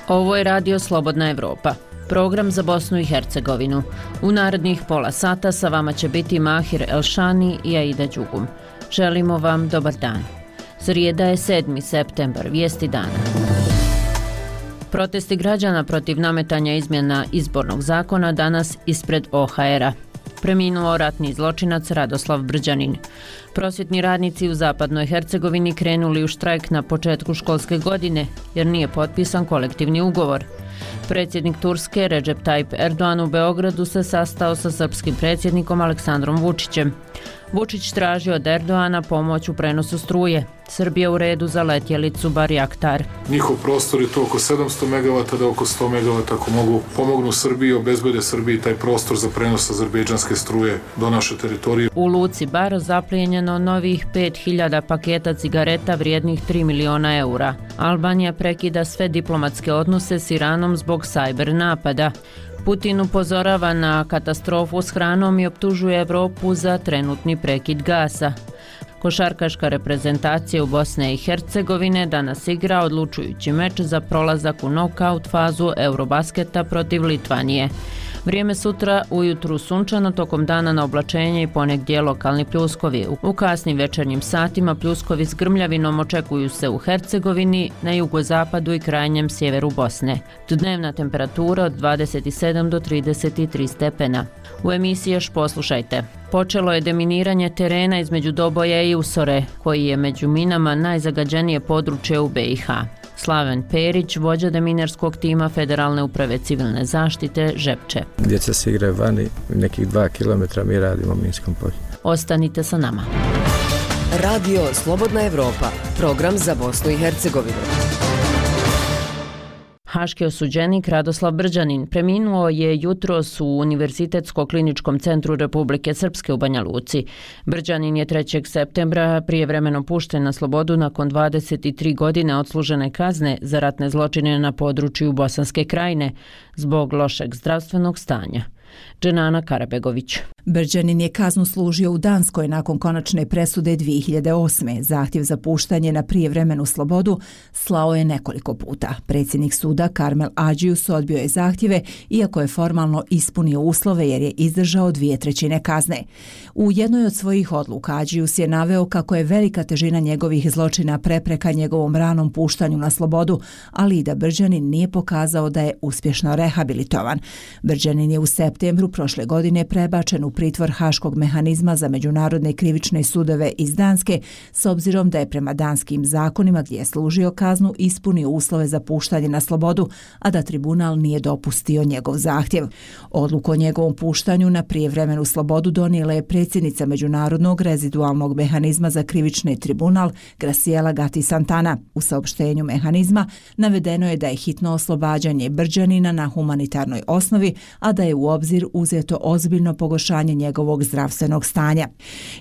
Ovo je Radio Slobodna Evropa, program za Bosnu i Hercegovinu. U narednih pola sata sa vama će biti Mahir Elšani i Aida Đugum. Želimo vam dobar dan. Srijeda je 7. septembar, vijesti dana. Protesti građana protiv nametanja izmjena izbornog zakona danas ispred OHR-a. Preminuo ratni zločinac Radoslav Brđanin. Prosvjetni radnici u zapadnoj Hercegovini krenuli u štrajk na početku školske godine jer nije potpisan kolektivni ugovor. Predsjednik Turske Recep Tayyip Erdogan u Beogradu se sastao sa srpskim predsjednikom Aleksandrom Vučićem. Vučić traži od Erdogana pomoć u prenosu struje. Srbija u redu za letjelicu Barjaktar. Njihov prostor je to oko 700 MW, da oko 100 MW ako mogu pomognu Srbiji, obezbede Srbiji taj prostor za prenos azerbejdžanske struje do naše teritorije. U Luci Bar zaplijenjeno novih 5000 paketa cigareta vrijednih 3 miliona eura. Albanija prekida sve diplomatske odnose s Iranom zbog sajber napada. Putin upozorava na katastrofu s hranom i optužuje Evropu za trenutni prekid gasa. Košarkaška reprezentacija u Bosne i Hercegovine danas igra odlučujući meč za prolazak u nokaut fazu Eurobasketa protiv Litvanije. Vrijeme sutra ujutru sunčano, tokom dana na oblačenje i ponegdje lokalni pljuskovi. U kasnim večernjim satima pljuskovi s grmljavinom očekuju se u Hercegovini, na jugozapadu i krajnjem sjeveru Bosne. Dnevna temperatura od 27 do 33 stepena. U emisiji još poslušajte. Počelo je deminiranje terena između Doboja i Usore, koji je među minama najzagađenije područje u BiH. Slaven Perić, vođa deminerskog tima Federalne uprave civilne zaštite, žepče. Djeca se igraju vani, nekih 2 km mi radimo u minskom polju. Ostanite sa nama. Radio Slobodna Evropa, program za Bosnu i Hercegovinu. Haški osuđenik Radoslav Brđanin preminuo je jutros u Univerzitetsko-kliničkom centru Republike Srpske u Banja Luci. Brđanin je 3. septembra prijevremeno pušten na slobodu nakon 23 godine odslužene kazne za ratne zločine na području Bosanske krajine zbog lošeg zdravstvenog stanja. Dženana Karabegović. Brđanin je kaznu služio u Danskoj nakon konačne presude 2008. Zahtjev za puštanje na prijevremenu slobodu slao je nekoliko puta. Predsjednik suda Karmel Adžius odbio je zahtjeve, iako je formalno ispunio uslove jer je izdržao 2/3 kazne. U jednoj od svojih odluka Adžius je naveo kako je velika težina njegovih zločina prepreka njegovom ranom puštanju na slobodu, ali i da Brđanin nije pokazao da je uspješno rehabilitovan. Brđanin je u septembru prošle godine prebačen u pritvor Haškog mehanizma za međunarodne krivične sudove iz Danske, s obzirom da je prema danskim zakonima gdje je služio kaznu ispunio uslove za puštanje na slobodu, a da tribunal nije dopustio njegov zahtjev. Odluku o njegovom puštanju na prijevremenu slobodu donijela je predsjednica Međunarodnog rezidualnog mehanizma za krivični tribunal Graciela Gatti Santana. U saopštenju mehanizma navedeno je da je hitno oslobađanje Brđanina na humanitarnoj osnovi, a da je u obzir uzeto ozbiljno pogoršanje njegovog zdravstvenog stanja.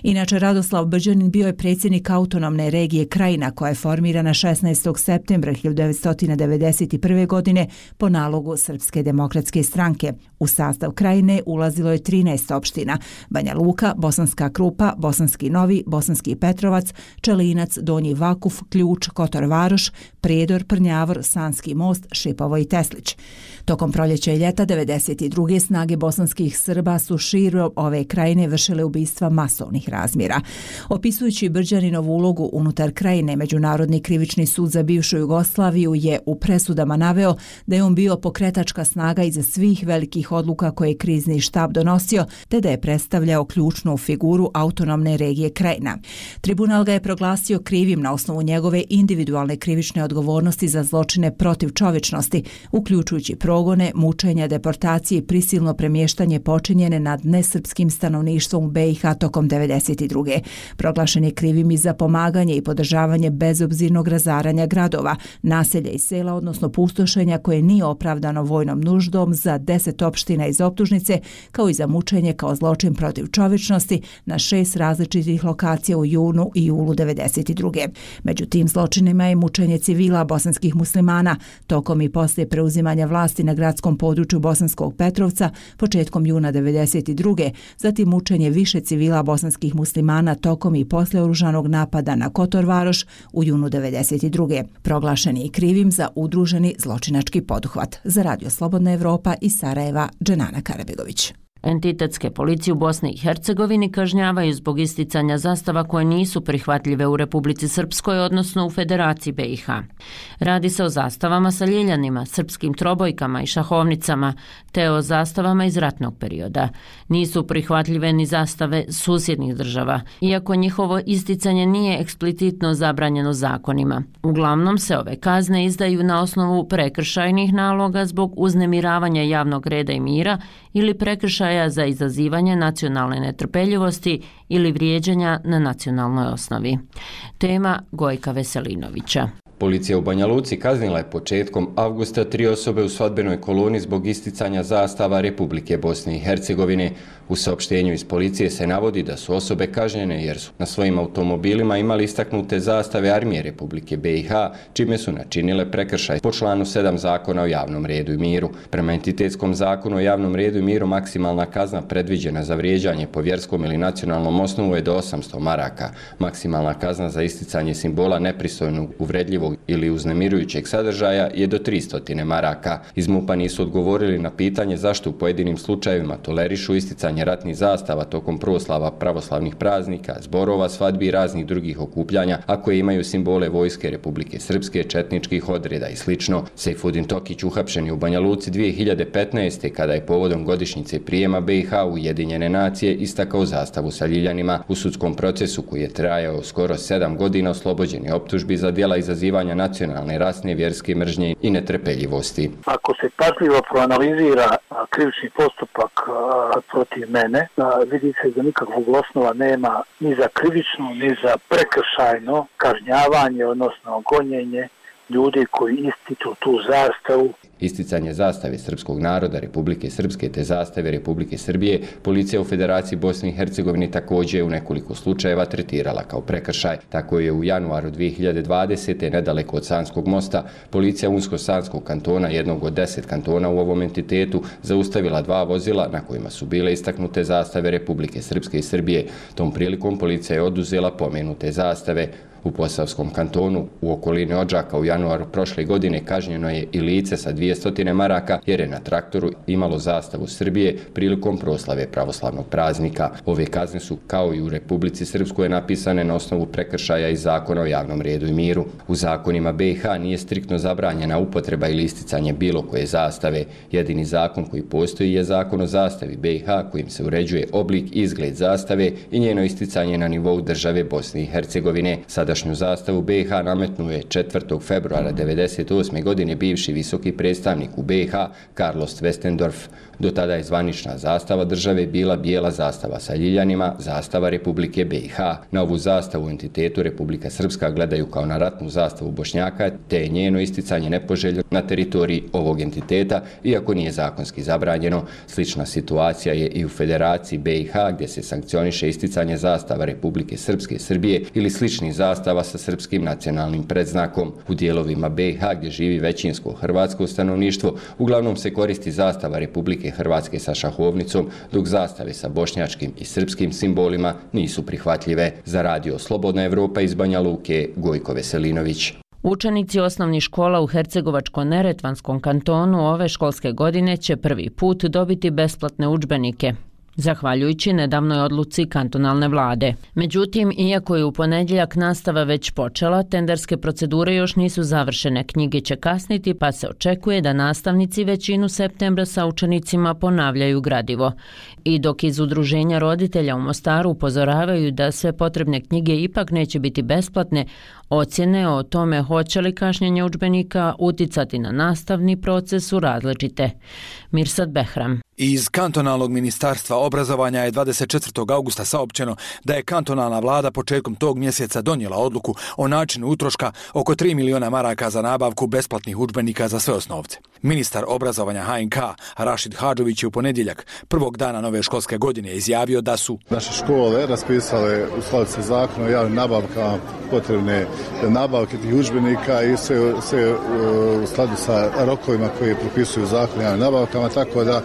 Inače, Radoslav Brđanin bio je predsjednik autonomne regije Krajina koja je formirana 16. septembra 1991. godine po nalogu Srpske demokratske stranke. U sastav Krajine ulazilo je 13 opština: Banja Luka, Bosanska Krupa, Bosanski Novi, Bosanski Petrovac, Čelinac, Donji Vakuf, Ključ, Kotor Varoš, Prijedor, Prnjavor, Sanski Most, Šipovo i Teslić. Tokom proljeća i ljeta 92. snage bosanskih Srba su širom ove krajine vršile ubistva masovnih razmjera. Opisujući Brđaninovu ulogu unutar krajine, Međunarodni krivični sud za bivšu Jugoslaviju je u presudama naveo da je on bio pokretačka snaga iza svih velikih odluka koje je krizni štab donosio, te da je predstavljao ključnu figuru autonomne regije Krajina. Tribunal ga je proglasio krivim na osnovu njegove individualne krivične odgovornosti za zločine protiv čovječnosti, uključujući progone, mučenja, deportacije i prisilno premještanje počinjene nad nesrpskim stanovništvom u BiH tokom 92. Proglašen je krivim i za pomaganje i podržavanje bezobzirnog razaranja gradova, naselja i sela, odnosno pustošenja koje nije opravdano vojnom nuždom za 10 opština ostavština iz optužnice, kao i za mučenje kao zločin protiv čovječnosti na 6 različitih lokacija u junu i julu 1992. Među tim zločinima je mučenje civila bosanskih muslimana tokom i poslije preuzimanja vlasti na gradskom području Bosanskog Petrovca početkom juna 1992. Zatim mučenje više civila bosanskih muslimana tokom i poslije oružanog napada na Kotor Varoš u junu 1992. Proglašen je i krivim za udruženi zločinački poduhvat. Za Radio Slobodna Evropa iz Sarajeva, Dženana Karabegović. Entitetske policije u Bosni i Hercegovini kažnjavaju zbog isticanja zastava koje nisu prihvatljive u Republici Srpskoj, odnosno u Federaciji BiH. Radi se o zastavama sa ljiljanima, srpskim trobojkama i šahovnicama, te o zastavama iz ratnog perioda. Nisu prihvatljive ni zastave susjednih država, iako njihovo isticanje nije eksplicitno zabranjeno zakonima. Uglavnom se ove kazne izdaju na osnovu prekršajnih naloga zbog uznemiravanja javnog reda i mira ili prekršaja za izazivanje nacionalne netrpeljivosti ili vrijeđanja na nacionalnoj osnovi. Tema Gojka Veselinovića. Policija u Banja Luci kaznila je početkom avgusta 3 osobe u svadbenoj koloni zbog isticanja zastava Republike Bosne i Hercegovine. U saopštenju iz policije se navodi da su osobe kažnjene jer su na svojim automobilima imali istaknute zastave Armije Republike BiH, čime su načinile prekršaj po članu 7 Zakona o javnom redu i miru. Prema entitetskom zakonu o javnom redu i miru maksimalna kazna predviđena za vrijeđanje po vjerskom ili nacionalnom osnovu je do 800 maraka. Maksimalna kazna za isticanje simbola nepristojnog, uvredljivog ili uznemirujućeg sadržaja je do 300 maraka. Iz MUP-a nisu odgovorili na pitanje zašto u pojedinim slučajevima tolerišu isticanje ratnih zastava tokom proslava pravoslavnih praznika, zborova, svadbi i raznih drugih okupljanja, a koje imaju simbole Vojske Republike Srpske, četničkih odreda i sl. Sejfudin Tokić uhapšen je u Banja Luci 2015. kada je povodom godišnjice prijema BiH u Ujedinjene nacije istakao zastavu sa ljiljanima. U sudskom procesu koji je trajao skoro 7 godina oslobođen je optužbi za djela izazivanja nacionalne, rasne, vjerske mržnje i netrpeljivosti. Ako se pažljivo proanalizira krivični postupak protiv mene, vidi se da nikakvog osnova nema ni za krivično, ni za prekršajno kažnjavanje, odnosno gonjenje ljudi koji ističu tu zastavu. Isticanje zastave srpskog naroda Republike Srpske te zastave Republike Srbije policija u Federaciji Bosne i Hercegovine također u nekoliko slučajeva tretirala kao prekršaj. Tako je u januaru 2020. nedaleko od Sanskog mosta policija Unsko-Sanskog kantona, jednog od 10 kantona u ovom entitetu, zaustavila 2 vozila na kojima su bile istaknute zastave Republike Srpske i Srbije. Tom prilikom policija je oduzela pomenute zastave. U Posavskom kantonu u okolini Odžaka u januaru prošle godine kažnjeno je i lice sa 200 maraka jer je na traktoru imalo zastavu Srbije prilikom proslave pravoslavnog praznika. Ove kazne su, kao i u Republici Srpskoj, napisane na osnovu prekršaja iz Zakona o javnom redu i miru. U zakonima BiH nije striktno zabranjena upotreba ili isticanje bilo koje zastave. Jedini zakon koji postoji je Zakon o zastavi BiH kojim se uređuje oblik i izgled zastave i njeno isticanje na nivou države Bosne i Hercegovine. Sadašnju zastavu BiH nametnuo je 4. februara 1998. godine bivši visoki predstavnik u BiH Carlos Westendorf. Do tada je zvanična zastava države bila bijela zastava sa ljiljanima, zastava Republike BiH. Na ovu zastavu u entitetu Republika Srpska gledaju kao na ratnu zastavu Bošnjaka, te je njeno isticanje nepoželjno na teritoriji ovog entiteta, iako nije zakonski zabranjeno. Slična situacija je i u Federaciji BiH, gdje se sankcioniše isticanje zastava Republike Srpske i Srbije ili sličnih zastava sa srpskim nacionalnim predznakom. U dijelovima BiH, gdje živi većinsko hrvatsko stanovništvo, uglavnom se koristi zastava Republike Hrvatske sa šahovnicom, dok zastave sa bošnjačkim i srpskim simbolima nisu prihvatljive. Za Radio Slobodna Evropa iz Banja Luke, Gojko Veselinović. Učenici osnovnih škola u Hercegovačko-Neretvanskom kantonu ove školske godine će prvi put dobiti besplatne udžbenike, zahvaljujući nedavnoj odluci kantonalne vlade. Međutim, iako je u ponedjeljak nastava već počela, tenderske procedure još nisu završene, knjige će kasniti, pa se očekuje da nastavnici većinu septembra sa učenicima ponavljaju gradivo. I dok iz Udruženja roditelja u Mostaru upozoravaju da sve potrebne knjige ipak neće biti besplatne, ocjene o tome hoće li kašnjenje udžbenika uticati na nastavni proces su različite. Mirsad Behram. Iz kantonalnog ministarstva obrazovanja je 24. augusta saopćeno da je kantonalna vlada početkom tog mjeseca donijela odluku o načinu utroška oko 3 miliona maraka za nabavku besplatnih udžbenika za sve osnovce. Ministar obrazovanja HNK Rašid Hadžović je u ponedjeljak, prvog dana nove školske godine, izjavio da su naše škole raspisale u skladu sa zakonom o javnim nabavkama potrebne nabavke tih udžbenika i sve u skladu sa rokovima koji propisuju zakon o javnim nabavkama, tako da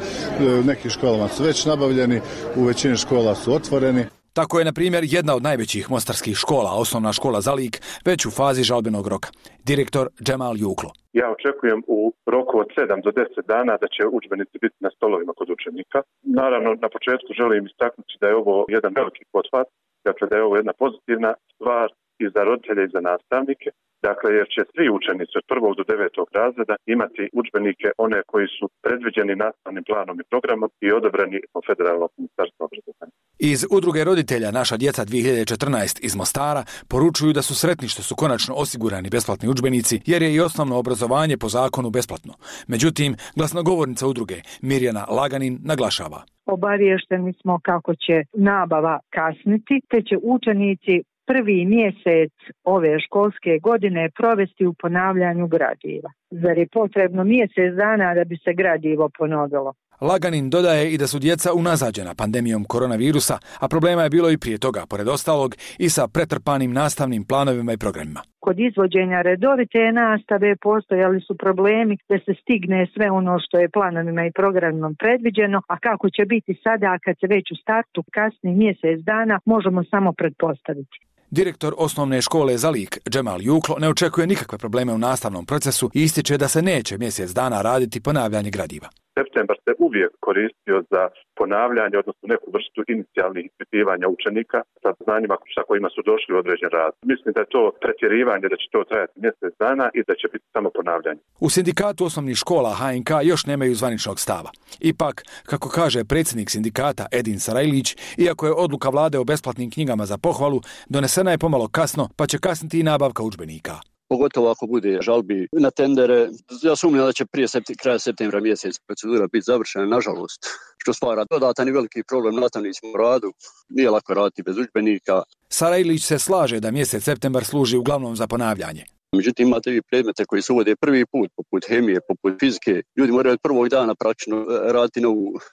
u nekim školama su već nabavljeni, u većini škola su otvoreni. Tako je, na primjer, jedna od najvećih mostarskih škola, osnovna škola Zalik, već u fazi žalbenog roka. Direktor Džemal Juklo. Ja očekujem u roku od 7 do 10 dana da će udžbenici biti na stolovima kod učenika. Naravno, na početku želim istaknuti da je ovo jedan veliki pothvat, dakle da je ovo jedna pozitivna stvar i za roditelje i za nastavnike. Dakle, jer će svi učenici od 1. do 9. razreda imati udžbenike one koji su predviđeni nastavnim planom i programom i odobreni od Federalnog ministarstva obrazovanja. Iz udruge roditelja Naša djeca 2014 iz Mostara poručuju da su sretni što su konačno osigurani besplatni udžbenici, jer je i osnovno obrazovanje po zakonu besplatno. Međutim, glasnogovornica udruge Mirjana Laganin naglašava. Obavješteni smo kako će nabava kasniti, te će učenici prvi mjesec ove školske godine provesti u ponavljanju gradiva. Zar je potrebno mjesec dana da bi se gradivo ponovilo? Laganin dodaje i da su djeca unazađena pandemijom koronavirusa, a problema je bilo i prije toga, pored ostalog, i sa pretrpanim nastavnim planovima i programima. Kod izvođenja redovite nastave postojali su problemi da se stigne sve ono što je planovima i programom predviđeno, a kako će biti sada kad se već u startu kasni mjesec dana, možemo samo pretpostaviti. Direktor osnovne škole Zalik, Džemal Juklo, ne očekuje nikakve probleme u nastavnom procesu i ističe da se neće mjesec dana raditi ponavljanje gradiva. Septembar se uvijek koristio za ponavljanje, odnosno neku vrstu inicijalnih ispitivanja učenika sa znanjima sa kojima su došli u određen rad. Mislim da je to pretjerivanje, da će to trajati mjesec dana i da će biti samo ponavljanje. U sindikatu osnovnih škola HNK još nemaju zvaničnog stava. Ipak, kako kaže predsjednik sindikata Edin Sarajlić, iako je odluka vlade o besplatnim knjigama za pohvalu, donesena je pomalo kasno, pa će kasniti i nabavka udžbenika. Pogotovo ako bude žalbi na tendere. Ja sumnjam da će prije kraja septembra mjesec procedura biti završena, nažalost, što stvara dodatan i veliki problem nastavnicima u radu. Nije lako raditi bez udžbenika. Sarajlić se slaže da mjesec septembar služi uglavnom za ponavljanje. Međutim, imate vi predmete koji se uvode prvi put, poput hemije, poput fizike. Ljudi moraju od prvog dana praktično raditi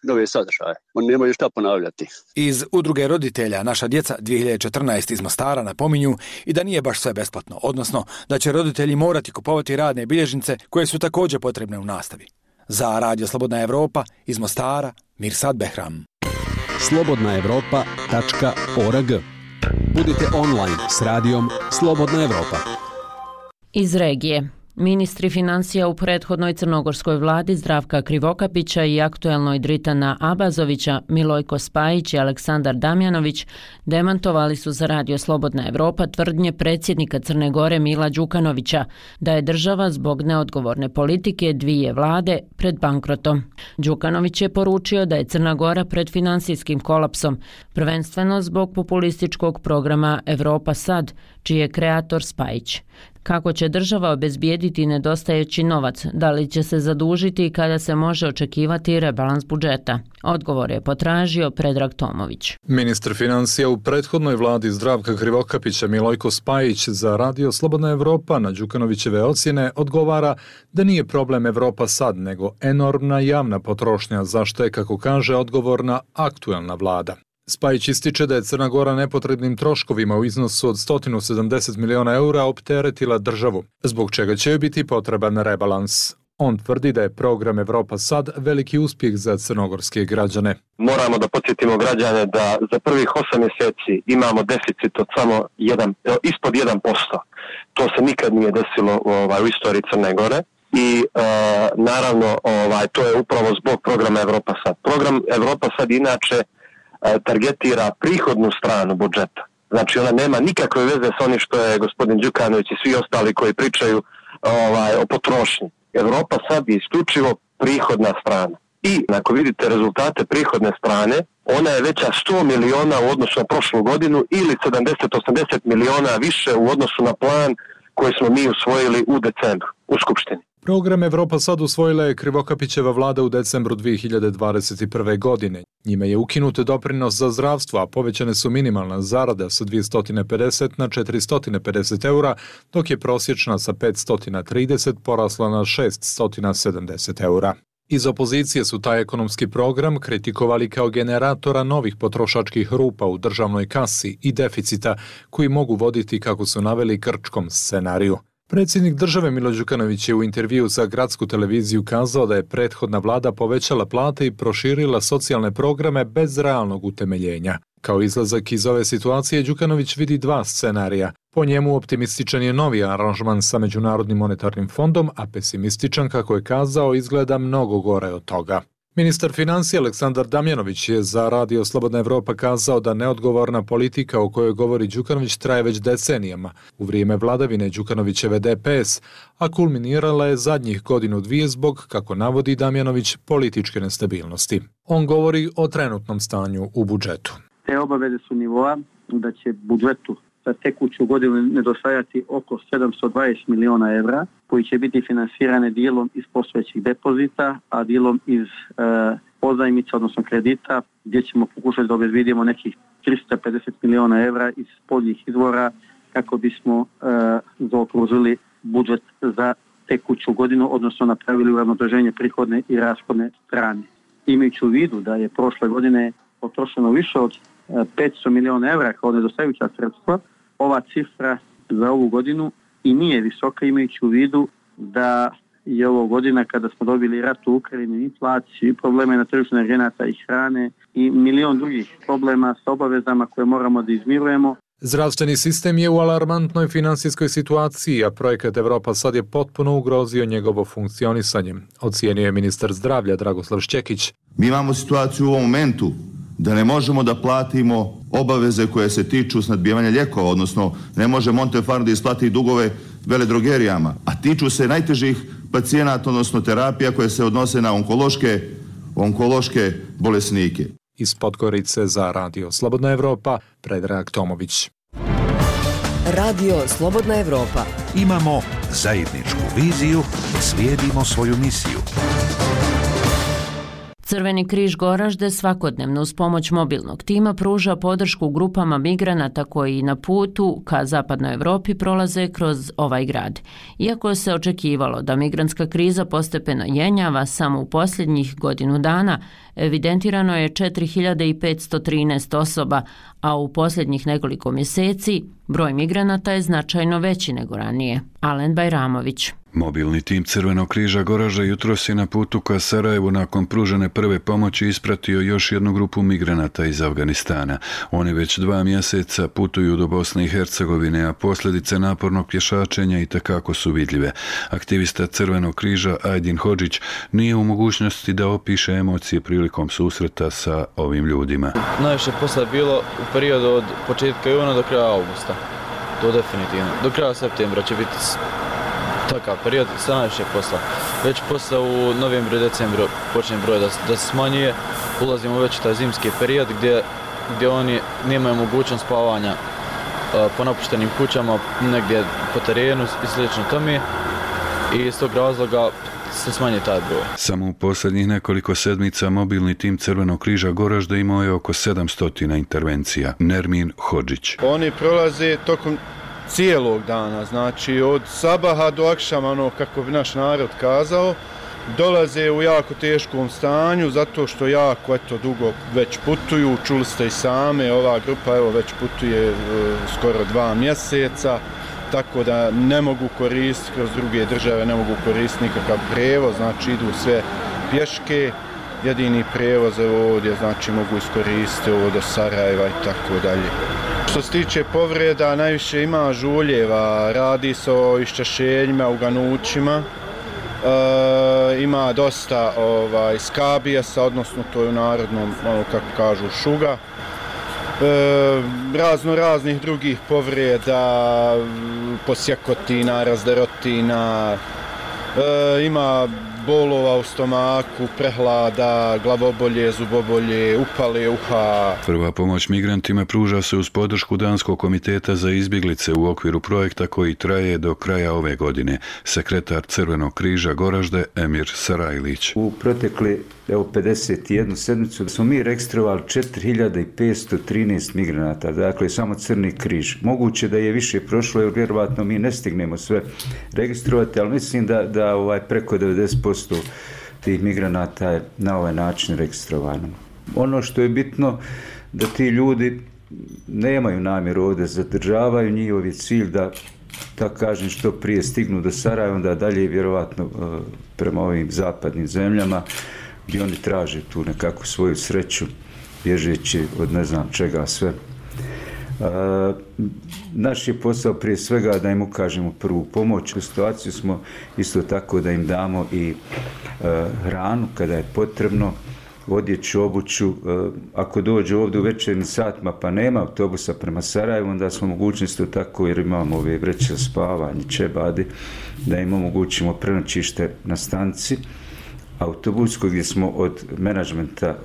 nove sadržaje. Oni nemaju šta ponavljati. Iz udruge roditelja Naša djeca 2014 iz Mostara napominju i da nije baš sve besplatno, odnosno da će roditelji morati kupovati radne bilježnice koje su također potrebne u nastavi. Za Radio Slobodna Evropa iz Mostara, Mirsad Behram. slobodnaevropa.org. Budite online s radijom Slobodna Evropa. Iz regije. Ministri financija u prethodnoj crnogorskoj vladi Zdravka Krivokapića i aktuelnoj Dritana Abazovića, Milojko Spajić i Aleksandar Damjanović demantovali su za Radio Slobodna Evropa tvrdnje predsjednika Crne Gore Mila Đukanovića da je država zbog neodgovorne politike dvije vlade pred bankrotom. Đukanović je poručio da je Crna Gora pred finansijskim kolapsom, prvenstveno zbog populističkog programa Evropa Sad, čiji je kreator Spajić. Kako će država obezbijediti nedostajeći novac? Da li će se zadužiti i kada se može očekivati rebalans budžeta? Odgovor je potražio Predrag Tomović. Ministar financija u prethodnoj vladi Zdravka Krivokapića Milojko Spajić za Radio Slobodna Evropa na Đukanovićeve ocjene odgovara da nije problem Evropa Sad, nego enormna javna potrošnja, za što je, kako kaže, odgovorna aktuelna vlada. Spajić ističe da je Crna Gora nepotrebnim troškovima u iznosu od 170 miliona eura opteretila državu, zbog čega će biti potreban rebalans. On tvrdi da je program Evropa Sad veliki uspjeh za crnogorske građane. Moramo da podsjetimo građane da za prvih 8 mjeseci imamo deficit od samo ispod 1%. To se nikad nije desilo u istoriji Crne Gore. I naravno to je upravo zbog programa Evropa Sad. Program Evropa Sad inače targetira prihodnu stranu budžeta. Znači ona nema nikakve veze s onim što je gospodin Đukanović i svi ostali koji pričaju o potrošnji. Evropa Sad je isključivo prihodna strana. I ako vidite rezultate prihodne strane, ona je veća 100 miliona u odnosu na prošlu godinu ili 70-80 miliona više u odnosu na plan koji smo mi usvojili u decembru u Skupštini. Program Evropa sad usvojila je Krivokapićeva vlada u decembru 2021. godine. Njime je ukinut doprinos za zdravstvo, a povećane su minimalna zarada sa 250 na 450 eura, dok je prosječna sa 530 porasla na 670 eura. Iz opozicije su taj ekonomski program kritikovali kao generatora novih potrošačkih rupa u državnoj kasi i deficita koji mogu voditi, kako su naveli, krčkom scenariju. Predsjednik države Milo Đukanović je u intervju za gradsku televiziju kazao da je prethodna vlada povećala plate i proširila socijalne programe bez realnog utemeljenja. Kao izlazak iz ove situacije Đukanović vidi dva scenarija. Po njemu optimističan je novi aranžman sa Međunarodnim monetarnim fondom, a pesimističan, kako je kazao, izgleda mnogo gore od toga. Ministar financija Aleksandar Damjanović je za Radio Slobodna Evropa kazao da neodgovorna politika o kojoj govori Đukanović traje već decenijama, u vrijeme vladavine Đukanovićeve DPS, a kulminirala je zadnjih godinu dvije zbog, kako navodi Damjanović, političke nestabilnosti. On govori o trenutnom stanju u budžetu. Te obaveze su nivoa da će budžetu za tekuću godinu nedostajati oko 720 miliona evra, koji će biti finansirane dijelom iz postojećih depozita, a dijelom iz pozajmica, odnosno kredita, gdje ćemo pokušati da obezbedimo nekih 350 miliona evra iz spoljnih izvora kako bismo zaokružili budžet za tekuću godinu, odnosno napravili uravnoteženje prihodne i rashodne strane. Imajući u vidu da je prošle godine potrošeno više od 500 miliona evra kao nedostajuća sredstva, ova cifra za ovu godinu i nije visoka, imajući u vidu da je ovo godina kada smo dobili rat u Ukrajini, inflaciju i probleme na tržištu energenata i hrane i milion drugih problema sa obavezama koje moramo da izmirujemo. Zdravstveni sistem je u alarmantnoj finansijskoj situaciji, a projekat Evropa sad je potpuno ugrozio njegovo funkcionisanje, ocijenio je ministar zdravlja Dragoslav Šćekić. Mi imamo situaciju u ovom momentu da ne možemo da platimo obaveze koje se tiču snadbijevanja lijekova, odnosno ne može Montefarm da isplati dugove veledrogerijama, a tiču se najtežih pacijenata, odnosno terapija koje se odnose na onkološke bolesnike. Iz Podgorice za Radio Slobodna Evropa, Predrag Tomović. Radio Slobodna Evropa. Imamo zajedničku viziju, slijedimo svoju misiju. Crveni križ Goražde svakodnevno uz pomoć mobilnog tima pruža podršku grupama migranata koji na putu ka zapadnoj Evropi prolaze kroz ovaj grad. Iako se očekivalo da migrantska kriza postepeno jenjava, samo u posljednjih godinu dana evidentirano je 4513 osoba, a u posljednjih nekoliko mjeseci broj migranata je značajno veći nego ranije. Alen Bajramović. Mobilni tim Crvenog križa Goražde jutros je na putu ka Sarajevu nakon pružene prve pomoći ispratio još jednu grupu migranata iz Afganistana. Oni već 2 mjeseca putuju do Bosne i Hercegovine, a posljedice napornog pješačenja itekako su vidljive. Aktivista Crvenog križa Ajdin Hodžić nije u mogućnosti da opiše emocije prilikom susreta sa ovim ljudima. Najviše posla je bilo u periodu od početka juna do kraja augusta. To definitivno. Do kraja septembra će biti takav period sa najviše posla. Već posle u novembru i decembru počne broj da se smanjuje. Ulazimo već u taj zimski period gdje oni nemaju mogućnost spavanja po napuštenim kućama, negdje po terenu i slično tome. I iz tog razloga se smanji taj broj. Samo u posljednjih nekoliko sedmica mobilni tim Crvenog križa Goražde imao je oko 700 intervencija. Nermin Hodžić. Oni prolaze tokom cijelog dana, znači od sabaha do akšama, ono kako bi naš narod kazao, dolaze u jako teškom stanju zato što jako dugo već putuju, čuli ste i same, ova grupa već putuje skoro 2 mjeseca, tako da ne mogu koristiti kroz druge države, ne mogu koristiti nikakav prevoz, znači idu sve pješke, jedini prevoz ovdje, znači mogu iskoristiti ovo do Sarajeva i tako dalje. Što se tiče povreda, najviše ima žuljeva, radi se o iščašenjima, uganućima, ima dosta skabijesa, odnosno to je u narodnom, kako kažu, šuga. Raznih drugih povreda, posjekotina, razdarotina, ima bolova u stomaku, prehlada, glavobolje, zubobolje, upale uha. Prva pomoć migrantima pruža se uz podršku Danskog komiteta za izbjeglice u okviru projekta koji traje do kraja ove godine. Sekretar Crvenog križa Goražde Emir Sarajlić. U protekli 51 sedmicu smo mi registrovali 4513 migranata, dakle samo Crni križ. Moguće da je više prošlo jer vjerovatno mi ne stignemo sve registrovati, ali mislim da preko 90% tih migranata je na ovaj način registrovano. Ono što je bitno da ti ljudi nemaju namjeru ovdje zadržavaju, njihov je cilj da, tako kažem, što prije stignu do Sarajeva, onda dalje vjerovatno prema ovim zapadnim zemljama gdje oni traže tu nekakvu svoju sreću bježeći od ne znam čega sve. Naš je posao prije svega da im ukažemo prvu pomoć. U situaciju smo isto tako da im damo i hranu kada je potrebno, odjeću, obuću. Ako dođu ovdje u večernjim satima pa nema autobusa prema Sarajevu, onda smo mogućnosti tako, jer imamo ove vreće za spavanje, čebadi, da im omogućimo prenoćište na stanici autobuskoj, gdje smo od menadžmenta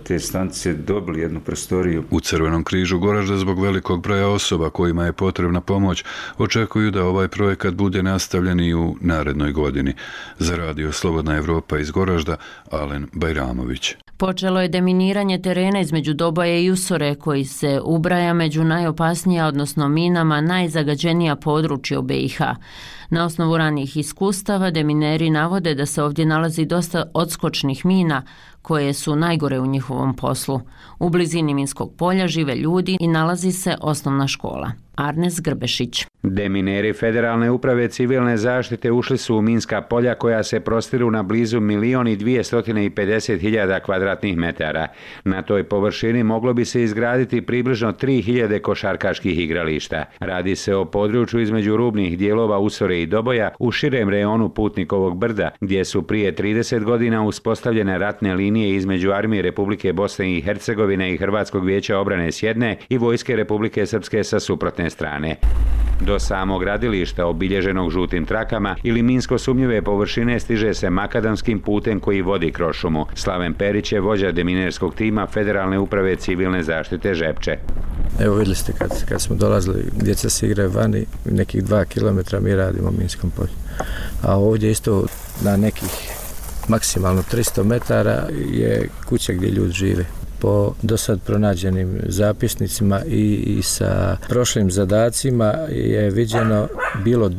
te stanice dobili jednu prostoriju. U Crvenom križu Goražde zbog velikog broja osoba kojima je potrebna pomoć očekuju da ovaj projekat bude nastavljen i u narednoj godini. Za Radio Slobodna Evropa iz Goražda, Alen Bajramović. Počelo je deminiranje terena između Doboje i Usore, koji se ubraja među najopasnija, odnosno minama, najzagađenija područja u BiH. Na osnovu ranijih iskustava demineri navode da se ovdje nalazi dosta odskočnih mina koje su najgore u njihovom poslu. U blizini minskog polja žive ljudi i nalazi se osnovna škola. Arnes Grbešić. Demineri Federalne uprave civilne zaštite ušli su u minska polja koja se prostiru na blizu 1.250.000 kvadratnih metara. Na toj površini moglo bi se izgraditi približno 3.000 košarkaških igrališta. Radi se o području između rubnih dijelova Usore i Doboja u širem rejonu Putnikovog brda, gdje su prije 30 godina uspostavljene ratne linije između Armije Republike Bosne i Hercegovine i Hrvatskog vijeća obrane s jedne i Vojske Republike Srpske sa suprotne strane. Do samog gradilišta, obilježenog žutim trakama ili minsko sumnjive površine, stiže se makadamskim putem koji vodi kroz šumu. Slaven Perić je vođa deminerskog tima Federalne uprave civilne zaštite Žepče. Evo vidjeli ste kad smo dolazili, djeca se igraju vani, nekih 2 kilometra mi radimo u minskom polju. A ovdje isto na nekih maksimalno 300 metara je kuća gdje ljudi žive. Po dosad pronađenim zapisnicima i sa prošlim zadacima je viđeno bilo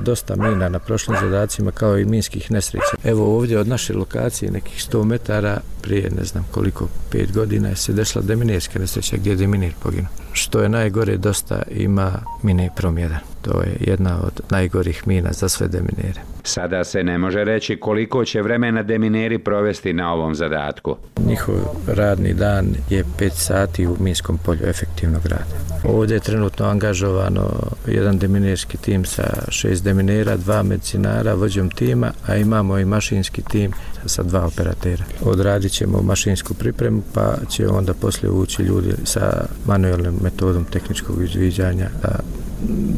dosta mina na prošlim zadacima, kao i minskih nesreća. Evo ovdje od naše lokacije nekih 100 metara prije ne znam koliko, 5 godina je se desila deminerska nesreća gdje je deminer poginuo. Što je najgore, dosta ima mine Prom 1. To je jedna od najgorih mina za sve deminere. Sada se ne može reći koliko će vremena demineri provesti na ovom zadatku. Njihov radni dan je 5 sati u minskom polju efektivnog rada. Ovdje je trenutno angažovano jedan deminerski tim sa 6 deminera, 2 medicinara, vođom tima, a imamo i mašinski tim sa 2 operatera. Odradit ćemo mašinsku pripremu, pa će onda poslije ući ljudi sa manualnom metodom tehničkog izviđanja da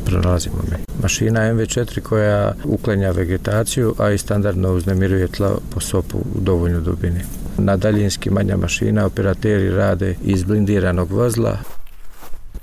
pronalazimo mi. Mašina MV4 koja uklanja vegetaciju, a i standardno uznemiruje tla po sopu u dovoljnoj dubini. Na daljinski manja mašina operateri rade iz blindiranog vozila.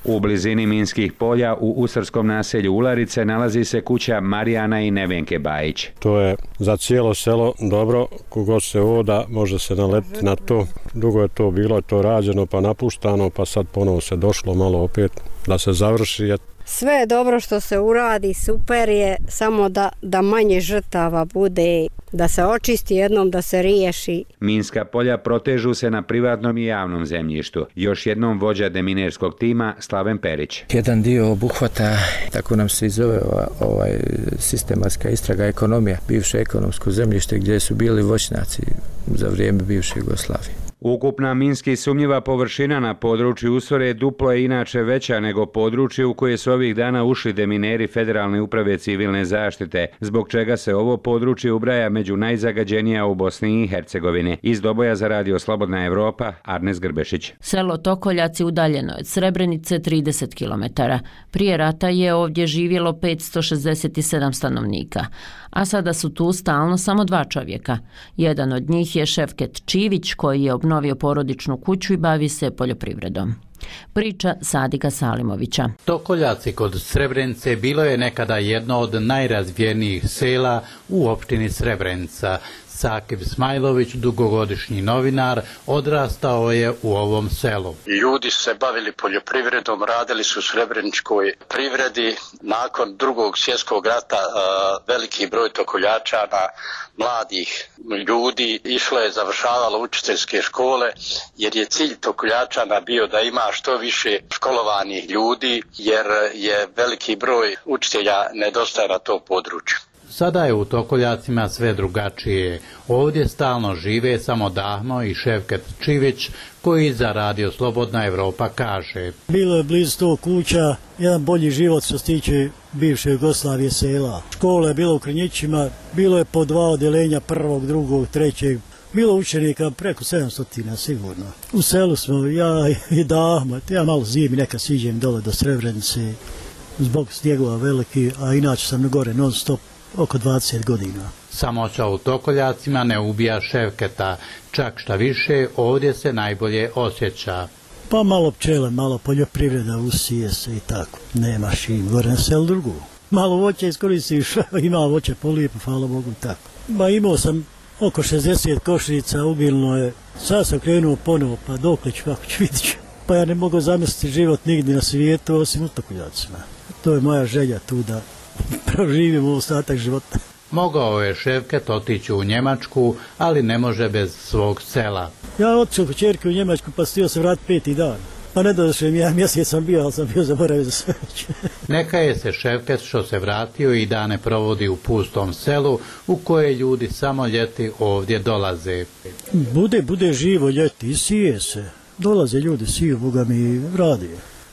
U blizini minskih polja u usarskom naselju Ularice nalazi se kuća Marijana i Nevenke Bajić. To je za cijelo selo dobro, kogod se oda može se naletiti na to. Dugo je to bilo, je to rađeno pa napuštano, pa sad ponovo se došlo malo opet da se završi. Sve je dobro što se uradi, super je, samo da manje žrtava bude, da se očisti jednom, da se riješi. Minska polja protežu se na privatnom i javnom zemljištu. Još jednom vođa deminerskog tima Slaven Perić. Jedan dio obuhvata, tako nam se i zove sistematska istraga ekonomija, bivše ekonomsko zemljište gdje su bili voćnjaci za vrijeme bivše Jugoslavije. Ukupna minski sumnjiva površina na području Usore duplo je inače veća nego područje u koje su ovih dana ušli demineri Federalne uprave civilne zaštite, zbog čega se ovo područje ubraja među najzagađenija u Bosni i Hercegovini. Iz Doboja za Radio Slobodna Evropa, Arnes Grbešić. Selo Tokoljaci udaljeno je od Srebrenice 30 km. Prije rata je ovdje živjelo 567 stanovnika, a sada su tu stalno samo 2 čovjeka. Jedan od njih je Ševket Čivić koji je obnovio porodičnu kuću i bavi se poljoprivredom. Priča Sadika Salimovića. Tokoljaci kod Srebrenice bilo je nekada jedno od najrazvijenijih sela u opštini Srebrenica. Sakib Smajlović, dugogodišnji novinar, odrastao je u ovom selu. Ljudi su se bavili poljoprivredom, radili su u srebreničkoj privredi. Nakon Drugog svjetskog rata veliki broj tokoljačana, mladih ljudi, išlo je, završavalo učiteljske škole, jer je cilj tokoljačana bio da ima što više školovanih ljudi, jer je veliki broj učitelja nedostaje na to području. Sada je u Tokoljacima sve drugačije. Ovdje stalno žive samo Dahmo i Ševket Čivić, koji za Radio Slobodna Evropa kaže. Bilo je blizu 100 kuća, jedan bolji život što se tiče bivše Jugoslavije sela. Škola je bila u Krnjićima, bilo je po 2 odeljenja, 1., 2., 3. Bilo učenika preko 700 sigurno. U selu smo, ja i Dahmo, ja malo zimi nekad siđem dole do Srebrenice, zbog snijegova veliki, a inače sam gore non stop. Oko 20 godina. Samoća u Tokoljacima ne ubija Ševketa, čak šta više ovdje se najbolje osjeća. Pa malo pčele, malo poljoprivreda, usije se i tako. Nemaš im gore na selu drugu. Malo voća iskoristiš, ima voće polijepo, hvala Bogu, tako. Ba imao sam oko 60 košnica, ubilno je. Sad sam krenuo ponovo, pa dokle ću, kako ću vidjeti. Pa ja ne mogu zamisliti život nigdje na svijetu, osim u Tokoljacima. To je moja želja tu da proživimo ostatak života. Mogao je Ševket otići u Njemačku, ali ne može bez svog sela. Ja otišao kod ćerke u Njemačku, pa stio se vratiti 5. dan. Pa ne došao mi, ja mjesec sam bio, ali sam bio zaboravio za sve. Neka je se Ševket što se vratio i dane provodi u pustom selu, u koje ljudi samo ljeti ovdje dolaze. Bude živo ljeti i sije se. Dolaze ljudi, siju, Boga mi radi.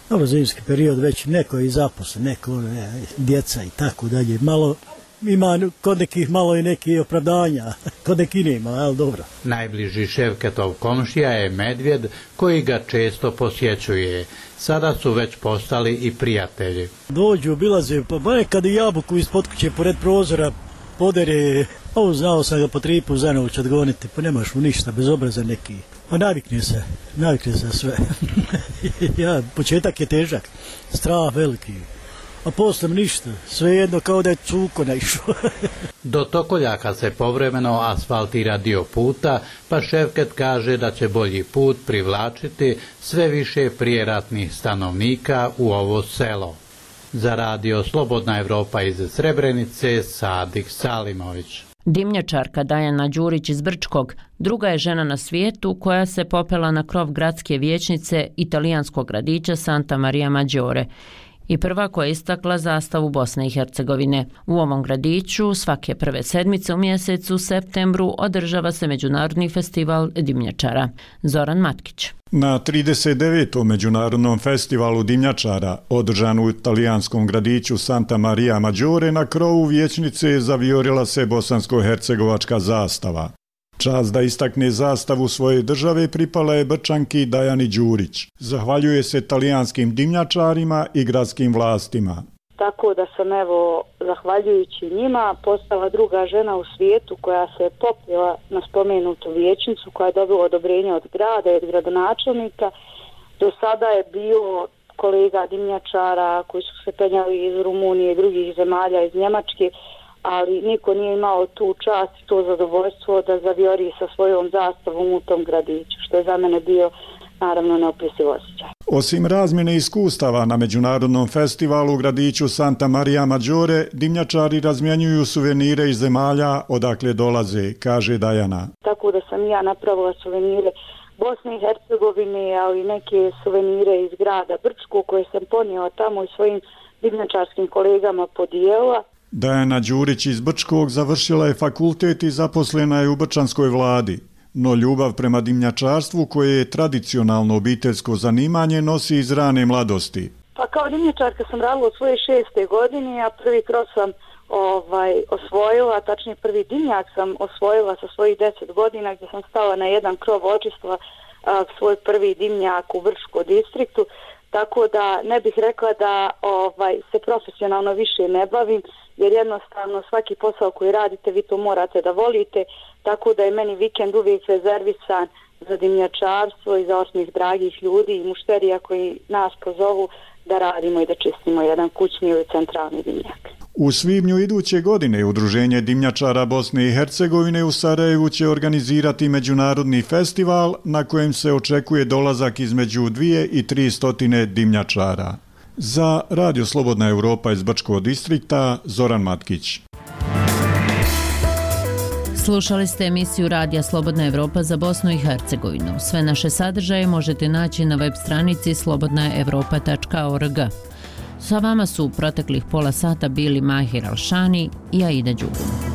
Ovo zimski period već neko je i zaposlen, neko djeca i tako dalje. Malo ima kod nekih malo i neki opravdanja, kod nekih nema, ali dobro. Najbliži Ševketov komšija je medvjed koji ga često posjećuje. Sada su već postali i prijatelji. Dođu, obilaze, pa nekad i jabuku ispod kuće pored prozora podere. Ovo znao sam ga po 3 puta za noć odgoniti, pa nemaš mu ništa, bez obraza neki. Pa navikne se sve. Ja, početak je težak, strah veliki, a poslije ništa, svejedno kao da je cuko naišao. Do Tokoljaka se povremeno asfaltira dio puta, pa Ševket kaže da će bolji put privlačiti sve više prijeratnih stanovnika u ovo selo. Za Radio Slobodna Evropa iz Srebrenice, Sadik Salimović. Dimnjačarka Dajana Đurić iz Brčkog druga je žena na svijetu koja se popela na krov gradske vijećnice italijanskog gradića Santa Maria Maggiore i prva koja je istakla zastavu Bosne i Hercegovine. U ovom gradiću svake prve sedmice u mjesecu septembru održava se Međunarodni festival dimnjačara. Zoran Matkić. Na 39. Međunarodnom festivalu dimnjačara, održan u italijanskom gradiću Santa Maria Maggiore, na krovu vijećnice zavijorila se bosansko-hercegovačka zastava. Čast da istakne zastavu svoje države pripala je Brčanki Dajani Đurić. Zahvaljuje se talijanskim dimnjačarima i gradskim vlastima. Tako da sam, zahvaljujući njima, postala druga žena u svijetu koja se popela na spomenutu vijećnicu, koja je dobila odobrenje od grada i od gradonačelnika. Do sada je bio kolega dimnjačara koji su se penjali iz Rumunije i drugih zemalja, iz Njemačke, ali niko nije imao tu čast i to zadovoljstvo da zavijori sa svojom zastavom u tom gradiću, što je za mene bio naravno neopisiv osjećaj. Osim razmjene iskustava na Međunarodnom festivalu u gradiću Santa Maria Maggiore, dimnjačari razmjenjuju suvenire iz zemalja odakle dolaze, kaže Dajana. Tako da sam ja napravila suvenire Bosne i Hercegovine, ali neke suvenire iz grada Brčko koje sam ponijela tamo i svojim dimnjačarskim kolegama podijelila. Dajana Đurić iz Brčkog završila je fakultet i zaposlena je u brčanskoj vladi. No ljubav prema dimnjačarstvu, koje je tradicionalno obiteljsko zanimanje, nosi iz rane mladosti. Pa kao dimnjačarka sam radila u svojoj 6. godini, a prvi kroz sam osvojila, tačnije prvi dimnjak sam osvojila sa svojih 10 godina, gdje sam stala na jedan krov očistila svoj prvi dimnjak u Vrškom distriktu, tako da ne bih rekla da se profesionalno više ne bavim, jer jednostavno svaki posao koji radite vi to morate da volite, tako da je meni vikend uvijek rezervisan za dimnjačarstvo i za osmih dragih ljudi i mušterija koji nas pozovu da radimo i da čistimo jedan kućni ili centralni dimnjak. U svibnju iduće godine Udruženje dimnjačara Bosne i Hercegovine u Sarajevu će organizirati međunarodni festival na kojem se očekuje dolazak između 200 i 300 dimnjačara. Za Radio Slobodna Evropa iz Brčkog distrikta, Zoran Matkić. Slušali ste emisiju Radija Slobodna Evropa za Bosnu i Hercegovinu. Sve naše sadržaje možete naći na web stranici slobodnaevropa.org. Sa vama su u proteklih pola sata bili Mahir Alšani i Aida Đugum.